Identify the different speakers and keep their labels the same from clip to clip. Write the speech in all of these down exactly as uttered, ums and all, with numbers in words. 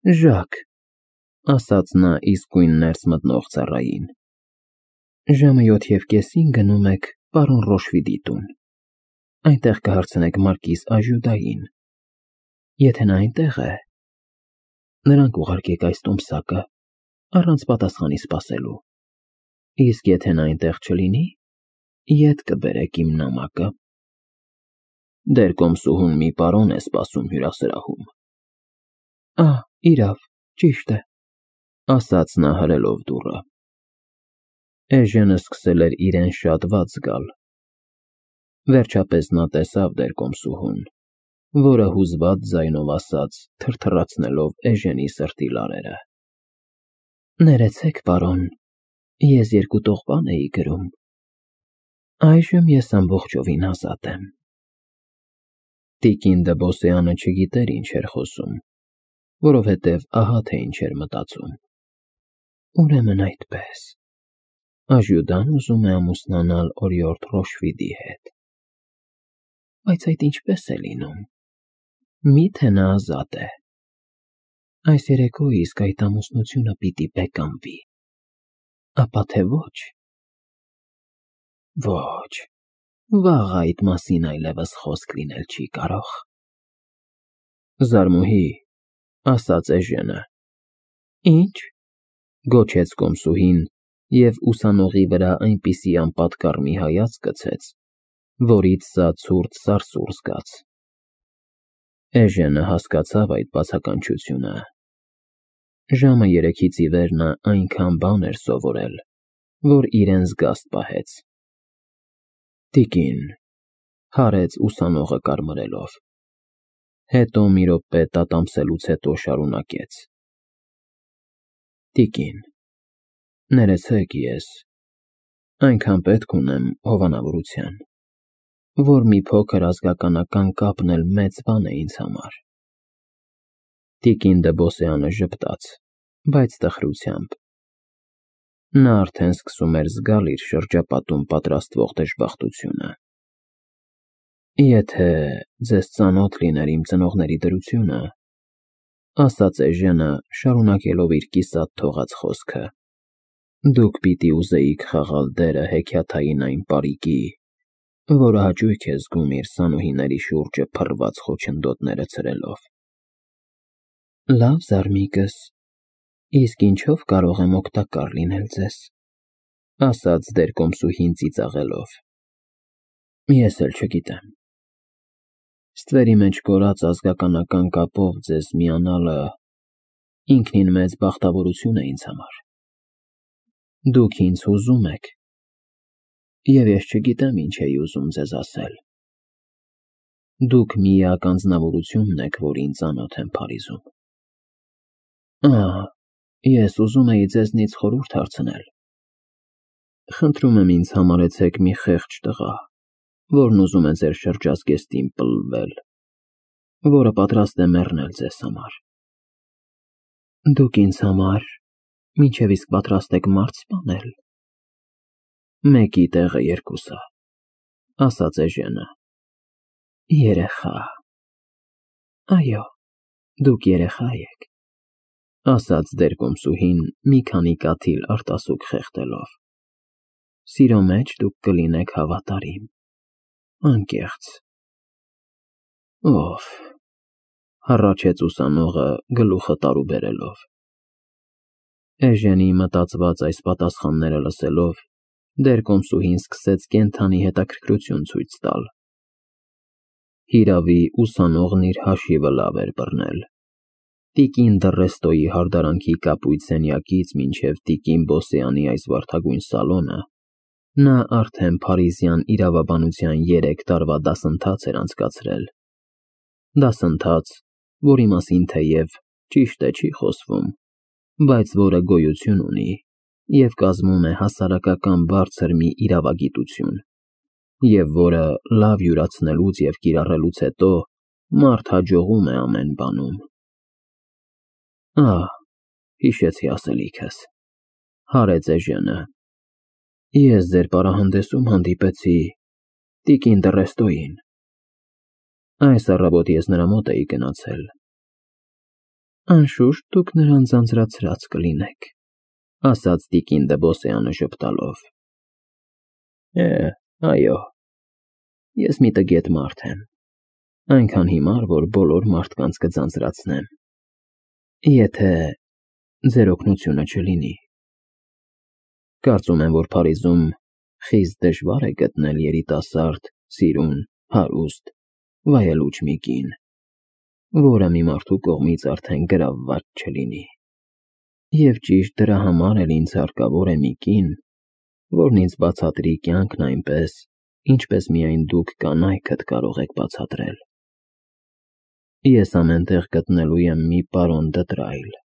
Speaker 1: Ժակ, ասաց նա իսկույն ներս մտնող ծառային, ժամը յոթ և կեսին գնում եք պարոն Ռոշվիդի տուն, այնտեղ կհարցնեք մարկիս Աժյուդային, եթե նա այնտեղ է, նրան կուղարկեք այս տոմսակը, առանց պատասխանի սպասելու, իսկ եթե նա այնտեղ չլինի, ետ կբերեք իմ նամակը։ Դեր կոմսուհուն մի պարոն է սպասում հյուրասրահում։ Ահ, իրավ, ճիշտ է, ասաց նա հրելով դուռը։ Էժենը սկսել էր իրեն շատ վատ զգալ։ Վերջապես նա տեսավ դեր կոմսուհուն, որը հուզված ձայնով ասաց, թրթռացնելով էժենի սրտի լարերը. Ներեցեք, պարոն, ես երկու տողպան էի գրում, այժմ ես ամբողջովին ազատ եմ։ Տիկին Դըբոսյանը չգիտեր ինչ էր խոսում, որովհետև ահա թե ինչ էր մտածում։ Ուրեմն այդպես, Աժյուդան ուզում է ամուսնանալ օրիորդ Ռոշվիդի հետ։ Բայց այդ ինչպես է լինում, միթե նա ազատ է։ Այս երեկո իսկ այդ ամուսնությունը պիտի բեկանվի, ապա թե ոչ։ Ոչ, վաղ այդ մասին այլևս խոսք լինել չի կարող։ Զարմուհի, ասաց էժենը։ Ինչ, գոչեց կոմսուհին և ուսանողի վրա այնպիսի անպատկառ մի հայացք գցեց, որից սա ցուրտ սարսուռ զգաց։ Էժենը հասկացավ այդ բացականչությունը։ Ժամը երեքից ի վեր նա այնքան բան էր սովորել, որ իրեն զգաստ պահեց։ Տիկին, հարեց ուսանողը կարմրելով, հետո մի րոպե տատամսելուց հետո շարունակեց. Տիկին, ներեցեք ես, այնքան պետք ունեմ հովանավորության, որ մի փոքր ազգականական կապն էլ մեծ բան է ինձ համար։ Տիկին Դըբոսյանը ժպտաց, բայց տխրությամբ։ Նա արդեն սկսում էր զգալ իր շրջապատում պատրաստվող դժբախտությունը։ Եթե ձեզ ծանոթ լիներ իմ ծնողների դրությունը, ասաց էժենը, շարունակելով իր կիսատ թողած խոսքը, դուք պիտի ուզեիք խաղալ դերը հեքիաթային այն պարիկի, որը հաճույք է զգում իր սանուհիների շուրջը փռված խոչընդոտները ցրելով։ Լավ, զարմիկս, իսկ ինչով կարող եմ օգտակար լինել ձեզ, ասաց դեր կոմսուհին ծիծաղելով։ Ես էլ չգիտեմ։ Ստվերի մեջ կորած ազգականական կապով ձեզ միանալը ինքնին մեծ բախտավորություն է ինձ համար։ Դուք ինձ հուզում եք, և ես չգիտեմ ինչ էի ուզում ձեզ ասել։ Դուք միակ անձնավորությունն եք, որ ինձ ծանոթ եմ Փարիզում։ Ահ, ես ուզում էի ձեզնից խորհուրդ հարցնել։ Խնդրում եմ ինձ համարեցեք մի խեղճ տղա, որն ուզում է ձեր շրջազգեստին պլվել, որը պատրաստ է մեռնել ձեզ համար։ Դուք ինձ համար մինչև իսկ պատրաստ եք մարդ սպանել։ Մեկի տեղը երկուսը, ասաց էժենը։ Երեխա։ Այո, դուք երեխա եք, ասաց դեր կոմսուհին մի քանի կաթիլ արտասուք խեղդելով։ Սիրո մեջ դուք կլինեք հավատարիմ, անկեղծ։ Ով, հառաչեց ուսանողը գլուխը տարուբերելով։ Էժենի մտածված այս պատասխանները լսելով, դեր կոմսուհին սկսեց կենդանի հետաքրքրություն ցույց տալ։ Հիրավի, ուսանողն իր հաշիվը լավ էր բռնել։ Տիկին Դռեստոյի հարդարանքի կապույտ սենյակից մինչև տիկին Բոսեանի այս վարդագույն սալոնը նա արդեն փարիզյան իրավաբանության երեք տարվա դասընթաց էր անցկացրել։ Դասընթաց, որի մասին թեև ճիշտ է չի խոսվում, բայց որը գոյություն ունի և կազմում է հասարակական բարձր մի իրավագիտություն, և որը լավ յուրացնելուց և կիրառելուց հետո մարդ հաջողում է ամեն բանում։ Ահ, հիշեցի ասելիքս, հարեց էժենը։ Ես ձեր պարահանդեսում հանդիպեցի տիկին Դռեստոյին։ Այս առավոտ ես նրա մոտ էի գնացել։ Անշուշտ դուք նրան ձանձրացրած կլինեք, ասաց տիկին Դեբոսյանը ժպտալով։ Է, այո, ես մի տգետ մարդ եմ, այնքան հիմար, որ բոլոր մարդկանց կձանձրացնեմ, եթե ձեր օգնությունը չլինի։ Կարծում եմ, որ Փարիզում խիստ դժվար է գտնել երիտասարդ, սիրուն, հարուստ, վայելուչ մի կին, որը մի մարդու կողմից արդեն գրավված չլինի։ Եվ ճիշտ դրա համար էլ ինձ հարկավոր է մի կին, որն ինձ բացատրի կյանքն այնպես, ինչպես միայն դուք կանայքդ կարող եք բացատրել։ Ես ամեն տեղ գտնելու եմ մի պարոն Դտրայլ։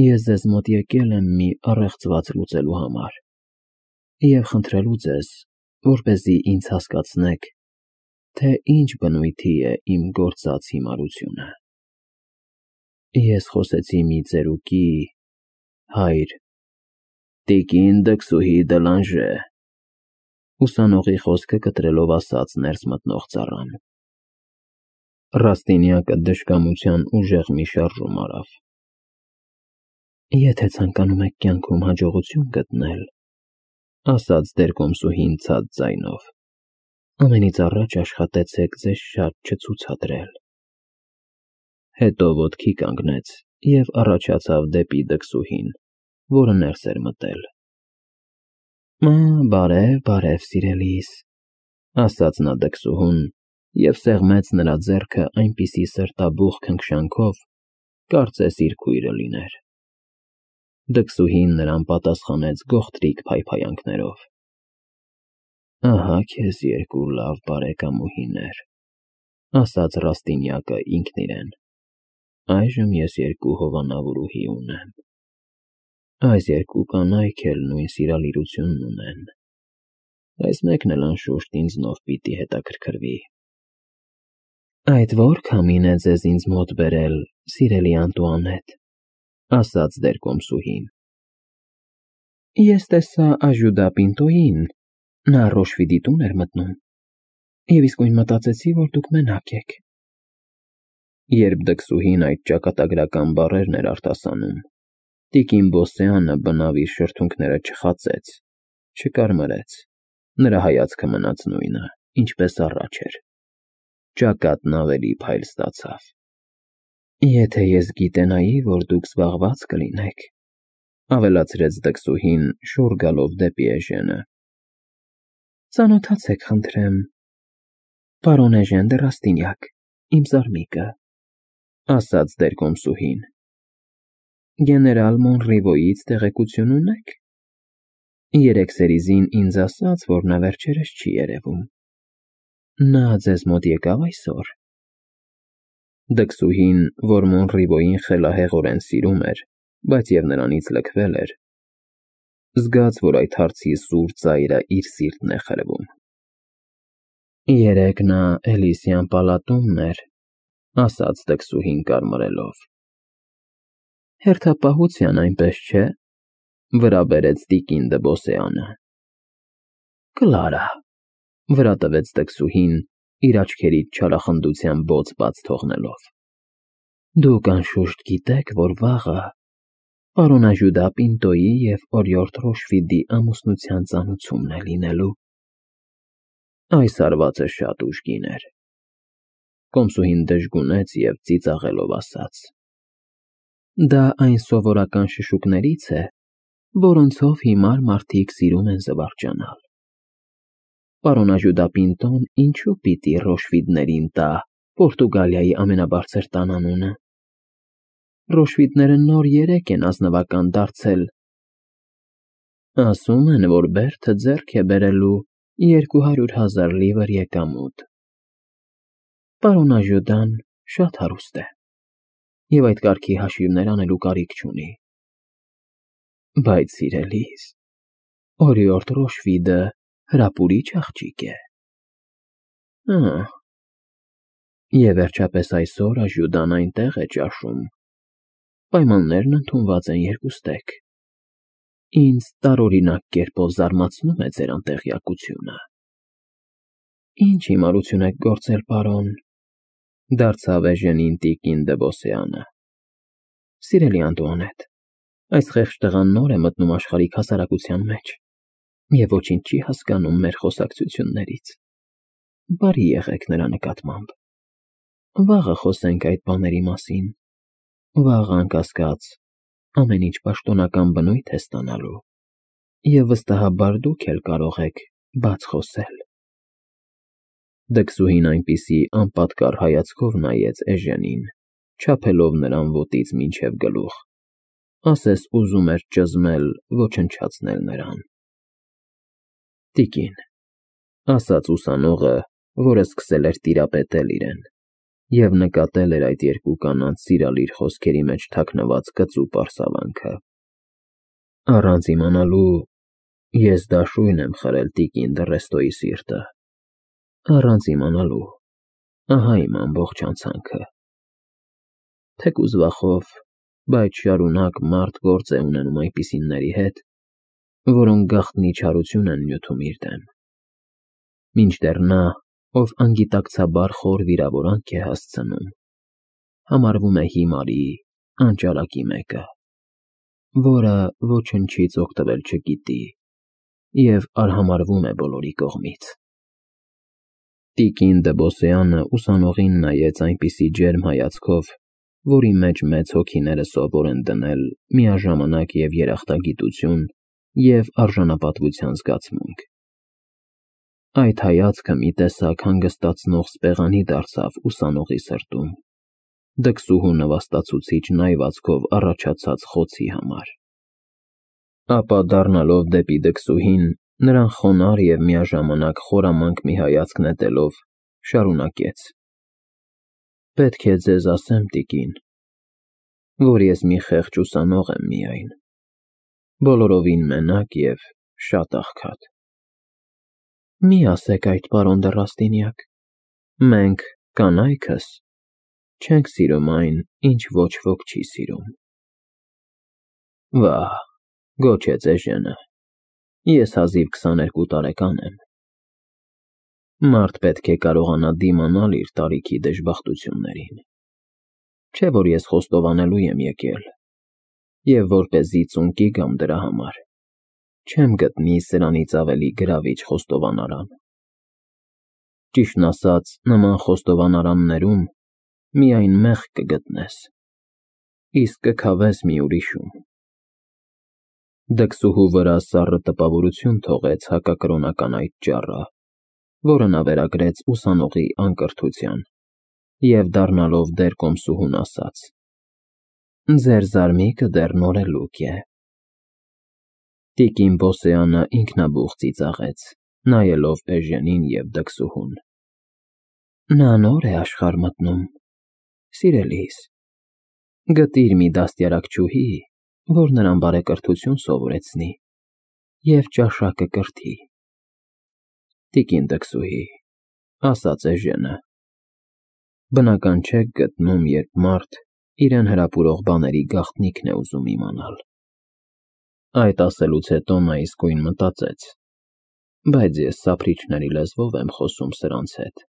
Speaker 1: Ես ձեզ մոտ եկել եմ մի առեղծված լուծելու համար և խնդրելու ձեզ, որպեսզի ինձ հասկացնեք, թե ինչ բնույթի է իմ գործած հիմարությունը։ Ես խոսեցի մի ծերուկի, հայր տիկին Դքսուհի Դելանժե, ուսանողի խոսքը կտրելով ասաց ներս մտնող ծառան։ Ռաստինյակը դժկամության ուժեղ մի շարժում արավ։ Եթե ցանկանում եք կյանքում հաջողություն գտնել, ասաց դերկոմսուհին ցած ձայնով, ամենից առաջ աշխատեցեք ձեզ շատ չցուցադրել։ Հետո ոտքի կանգնեց և առաջացավ դեպի Դքսուհին, որը ներս էր մտել։ Բարև, բարև, սիրելիս, ասաց նա Դքսուհուն և սեղմեց նրա ձեռքը այնպիսի սրտաբուխ քնքշանքով, կարծես իր քույրը լիներ։ Դքսուհին նրան պատասխանեց գողտրիկ փայփայանքներով։ Ահա քեզ երկու լավ բարեկամուհիներ, ասաց Ռաստինյակը ինքն իրեն, այժմ ես երկու հովանավորուհի ունեմ։ Այս երկու կանայք էլ նույն սիրալիրությունն ունեն, այս մեկն էլ անշուշտ ինձնով պիտի հետաքրքրվի։ Այդ ո՞ր քամին է ձեզ ինձ մոտ բերել, սիրելի Անտուանետ, ասաց դերկոմսուհին։ Ես տեսա Աժյուդա Պինտոյին, նա Ռոշվիդի տուն էր մտնում, և իսկույն մտածեցի, որ դուք մենակ եք։ Երբ Դքսուհին այդ ճակատագրական բառերն էր արտասանում, տիկին Բոսեանը բնավ իր շրթունքները չխացեց, չկարմրեց, նրա հայացքը մնաց նույնը, ինչպես առաջ էր։ Ճակատն ավելի փայլ ստացավ։ Եթե ես գիտենայի, որ դուք զբաղված կլինեք, ավելացրեց Դքսուհին, շուռ գալով դեպի Էժենը։ Ծանոթացեք, խնդրեմ, պարոն Էժեն դը Ռաստինյակ, իմ զարմիկը, ասաց դերկոմսուհին։ Գեներալ Մոնրիվոյից տեղեկություն ունեք։ Երեկ Սերիզին ինձ ասաց, որ նա վերջերս չի երևում։ Նա ձեզ մոտ եկավ այսօր։ Դքսուհին, որ Մոնրիվոյին խելահեղորեն սիրում էր, բայց և նրանից լքվել էր, զգաց, որ այդ հարցի սուր ծայրը իր սիրտն է խրվում։ Երեկ նա Էլիսյան պալատումն էր, ասաց Դքսուհին կարմրելով։ Հերթապահության, այնպես չէ, վրա բերեց տիկին Դեբոսյանը։ Կլարա, վրա տվեց Դքսուհին, իր աչքերից չարախնդության բոծ բաց թողնելով։ Դուք անշուշտ գիտեք, որ վաղը պարոն Աժյուդա Պինտոյի և օրիորդ Ռոշվիդի ամուսնության ծանուցումն է լինելու։ Այս հարվածը շատ ուժգին էր։ Կոմսուհին դժգունեց և ծիծաղելով ասաց. Դա այն սովորական շշուկներից է, որոնցով հիմար մարդիկ սիրում են զվարճանալ։ Պարոն Աժյուդա Պինտոն ինչու պիտի Ռոշվիդներին տա Պորտուգալիայի ամենաբարձր տանանունը։ Ռոշվիդները նոր երեկ են ազնվական դարձել։ Ասում են, որ Բերթը ձեռք է բերելու երկու հարյուր հազար լիվր եկամուտ։ Պարոն Աժյուդան շատ հարուստ է և այդ կարգի հաշիվներ անելու կարիք չունի։ Բայց, սիրելիս, օրիորդ Ռոշվիդը հրապուրիչ աղջիկ է։ Ահ։ Եվ վերջապես այսօր Աժյուդան այնտեղ է ճաշում։ Պայմաններն ընդունված են երկուստեք։ Ինձ տարօրինակ կերպով զարմացնում է ձեր անտեղյակությունը։ Ինչ հիմարություն եք գործել, պարոն, դարձավ Էժենին տիկին Դեբոսյանը։ Սիրելի Անտուանետ, այս խեղճ տղան նոր է մտնում աշխարհիկ հասարակության մեջ և ոչինչ չի հասկանում մեր խոսակցություններից։ Բարի եղեք նրա նկատմամբ։ Վաղը խոսենք այդ բաների մասին։ Վաղը, անկասկած, ամեն ինչ պաշտոնական բնույթ է ստանալու, և վստահաբար դուք էլ կարող եք բաց խոսել։ Դքսուհին այնպիսի անպատկառ հայացքով նայեց Էժենին, չափելով նրան ոտից մինչև գլուխ, ասես ուզում էր ճզմել, ոչնչացնել նրան։ Տիկին, ասաց ուսանողը, որը սկսել էր տիրապետել իրեն, և նկատել էր այդ երկու կանանց սիրալիր խոսքերի մեջ թաքնված կծու պարսավանքը, առանց իմանալու, ես դաշույն եմ խրել տիկին Դռեստոյի սիրտը, առանց իմանալու, ահա իմ ամբողջ անցանքը։ Թեկուզ վախով, բայց շարունակ մարդ գործ է ունենում այնպիսիների հետ, որոնք գաղտնի չարություն են նյութում իր դեմ, մինչդեռ նա, ով անգիտակցաբար խոր վիրավորանք է հասցնում, համարվում է հիմարի, անճարակի մեկը, որը ոչնչից օգտվել չգիտի և արհամարհվում է բոլորի կողմից։ Տիկին Դըբոսյանը ուսանողին նայեց այնպիսի ջերմ հայացքով, որի մեջ մեծ հոգիները սովոր են դնել միաժամանակ և երախտագիտություն, և արժանապատվության զգացմունք։ Այդ հայացքը մի տեսակ հանգստացնող սպեղանի դարձավ ուսանողի սրտում, դքսուհու նվաստացուցիչ նայվածքով առաջացած խոցի համար։ Ապա դառնալով դեպի դքսուհին, նրան խոնարհ և միաժամանակ խորամանկ մի հայացք նետելով, շարունակեց. Պետք է ձեզ ասեմ, տիկին, որ ես մի խեղճ ուսանող եմ միայն, բոլորովին մենակ և շատ աղքատ։ Մի ասեք այդ, պարոն Դեռաստինյակ, մենք, կանայքս, չենք սիրում այն, ինչ ոչ ոք չի սիրում։ Վա՜, գոչեց Էժենը, ես հազիվ քսաներկու տարեկան եմ։ Մարդ պետք է կարողանա դիմանալ իր տարիքի դժբախտություններին, չէ՞ որ ես խոստովանելու եմ եկել, և որպեսզի ծունկի գամ դրա համար, չեմ գտնի սրանից ավելի գրավիչ խոստովանարան։ Ճիշտն ասած, նման խոստովանարաններում միայն մեղք կգտնես, իսկ կքավես մի ուրիշում։ Դքսուհու վրա սառը տպավորություն թողեց հակակրոնական այդ ճառը, որը նա վերագրեց ուսանողի անկրթության, և դառնալով դեռ կոմսուհուն ասաց. Ձեր զարմիկը դեռ նորելուկ է։ Տիկին Բոսեանը ինքնաբուխ ծիծաղեց, նայելով Էժենին և դքսուհուն։ Նա նոր է աշխարհ մտնում, սիրելիս, գտիր մի դաստիարակչուհի, որ նրան բարեկրթություն սովորեցնի և ճաշակը կրթի։ Տիկին դքսուհի, ասաց Էժենը, բնական չեք գտնում, երբ մարդ իրեն հրապուրող բաների գաղտնիքն է ուզում իմանալ։ Այդ ասելուց հետո նա իսկույն մտածեց. բայց ես սափրիչների լեզվով եմ խոսում սրանց հետ։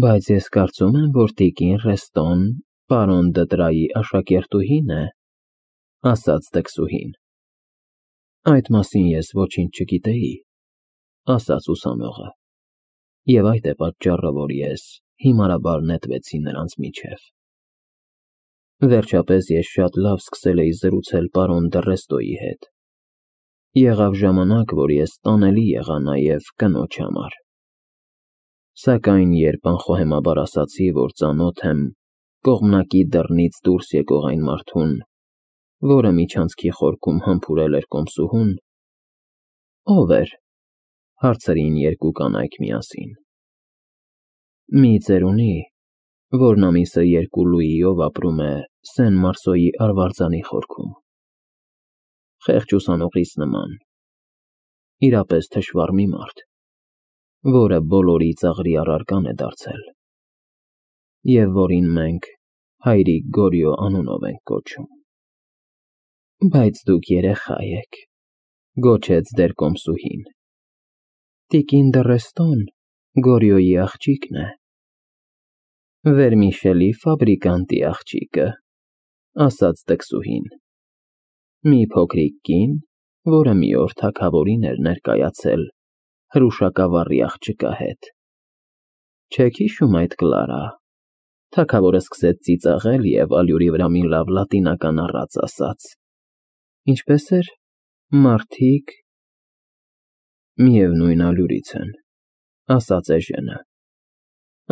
Speaker 1: Բայց ես կարծում եմ, որ տիկին Ռեստոն պարոն Դտրայի աշակերտուհին է, ասաց դքսուհին։ Այդ մասին ես ոչինչ չգիտեի, ասաց ուսանողը, և այդ է պատճառը, որ ես հիմարաբար նետվեցի նրանց միջև։ Վերջապես ես շատ լավ սկսել էի զրուցել պարոն Դռեստոյի հետ։ Եղավ ժամանակ, որ ես տանելի եղա նաև կնոջ համար։ Սակայն երբ անխոհեմաբար ասացի, որ ծանոթ եմ կողմնակի դռնից դուրս եկող այն մարդուն, որը միջանցքի խորքում համբուրել էր կոմսուհուն, ո՞վ էր, հարցրին երկու կանայք միասին։ Մի ծերունի, որն ամիսը երկու լուիով ապրում է Սեն֊Մարսոյի արվարձանի խորքում։ Խեղճ ուսանողիս նման, իրապես թշվառ մի մարդ, որը բոլորի ծաղրի առարկան է դարձել, և որին մենք հայրիկ Գորյո անունով ենք կոչում։ Բայց դուք երեխա եք, գոչեց դեռ կոմսուհին։ Տիկին Դռեստոն Գորյոյի աղջիկն է, Վերմիշելի ֆաբրիկանտի աղջիկը, ասաց տքսուհին։ Մի փոքրիկ կին, որը մի օր թագավորին էր ներկայացել հրուշակավառի աղջկա հետ։ Չեք հիշում այդ Կլարա։ Թագավորը սկսեց ծիծաղել և ալյուրի վրա մի լավ լատինական առած ասաց. Ինչպես էր, մարդիկ… Միևնույն ալյուրից են, ասաց Էժենը։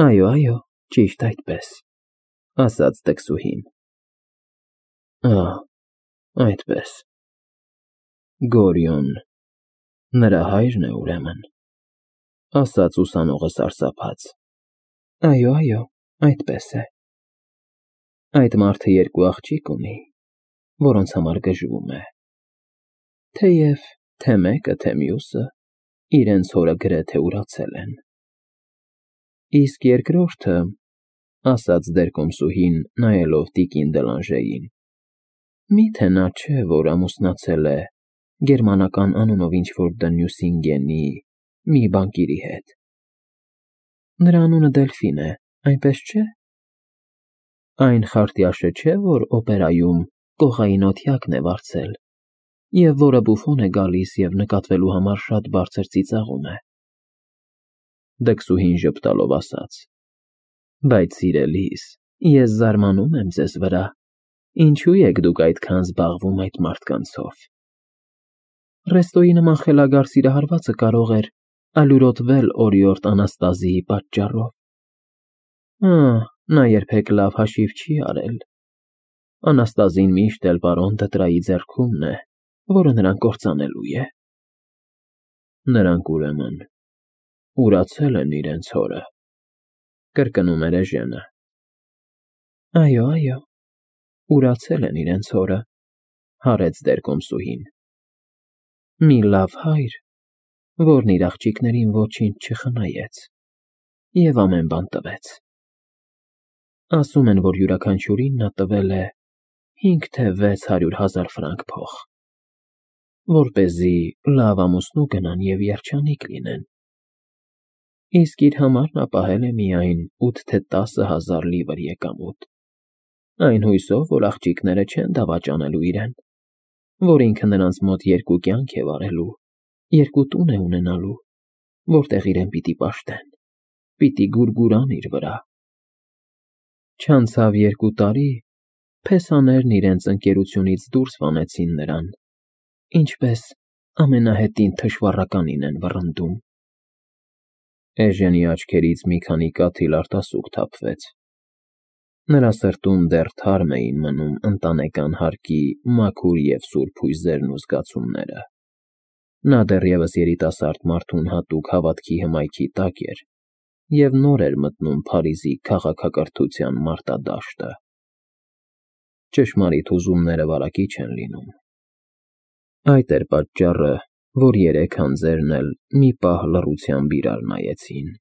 Speaker 1: Այո, այո, ճիշտ այդպես, ասաց տքսուհին։ Ահ, այդպես… Գորիոն… նրա հայրն է, ուրեմն, ասաց ուսանողը սարսափած։ Այո, այո, այդպես է։ Այդ մարդը երկու աղջիկ ունի, որոնց համար գժվում է, թեև թե մեկը, թե մյուսը իրենց հորը գրեթե ուրացել են։ Իսկ երկրորդը, ասաց դերկոմսուհին, նայելով տիկին Դելանժեին, մի՞թե նա չէ, որ ամուսնացել է գերմանական անունով ինչ֊որ Դնյուսինգենի մի բանկիրի հետ։ Նրա անունը Դելֆին է, այնպես չէ՞։ Այն խարտյաշը չէ, որ օպերայում կողային օթյակն է վարձել, և որը բուֆոն է գալիս և նկատվելու համար շատ բարձր ծիծաղում է։ Դքսուհին ժպտալով ասաց. Բայց, սիրելիս, ես զարմանում եմ ձեզ վրա, ինչու եք դուք այդքան զբաղվում այդ մարդկանցով։ Ռեստոյի նման խելագար սիրահարվածը կարող էր ալյուրոտվել օրիորդ Անաստազիի պատճառով։ Ահ, նա երբեք լավ հաշիվ չի արել։ Անաստազին միշտ էլ պարոն Դտրայի ձեռքումն է, որը նրան կործանելու է։ Նրանք, ուրեմն, ուրացել են իրենց հորը, կրկնում էր Էժենը։ Այո, այո, ուրացել են իրենց հորը, հարեց դերկոմսուհին։ Մի լավ հայր, որն իր աղջիկներին ոչինչ չխնայեց և ամեն բան տվեց։ Ասում են, որ յուրաքանչյուրին նա տվել է հինգ թե վեց հարյուր հազար ֆրանկ փող, որպեսզի լավ ամուսնու գնան և երջանիկ լինեն, իսկ իր համար նա պահել է միայն ութ թե տասը հազար լիվր եկամուտ, այն հույսով, որ աղջիկները չեն դավաճանելու իրեն, որ ինքը նրանց մոտ երկու կյանք է վարելու, երկու տուն է ունենալու, որտեղ իրեն պիտի պաշտեն, պիտի գուրգուրան իր վրա։ Չանցավ երկու տարի, փեսաներն իրենց ընկերությունից դուրս վանեցին նրան, ինչպես ամենահետին թշվառականին են վռնդում։ Էժենի աչքերից մի քանի կաթիլ արտասուք թափվեց։ Նրա սրտում դեռ թարմ էին մնում ընտանեկան հարկի մաքուր և սուրբ հույզերն ու զգացումները։ Նա դեռևս երիտասարդ մարդուն հատուկ հավատքի հմայքի տակ էր և նոր էր մտնում Փարիզի քաղաքակրթության մարտադաշտը։ Ճշմարիտ հուզումները վարակիչ են լինում։ Այդ էր պատճառը, որ երեք անձերն էլ մի պահ լռությամբ իրար նայեցին։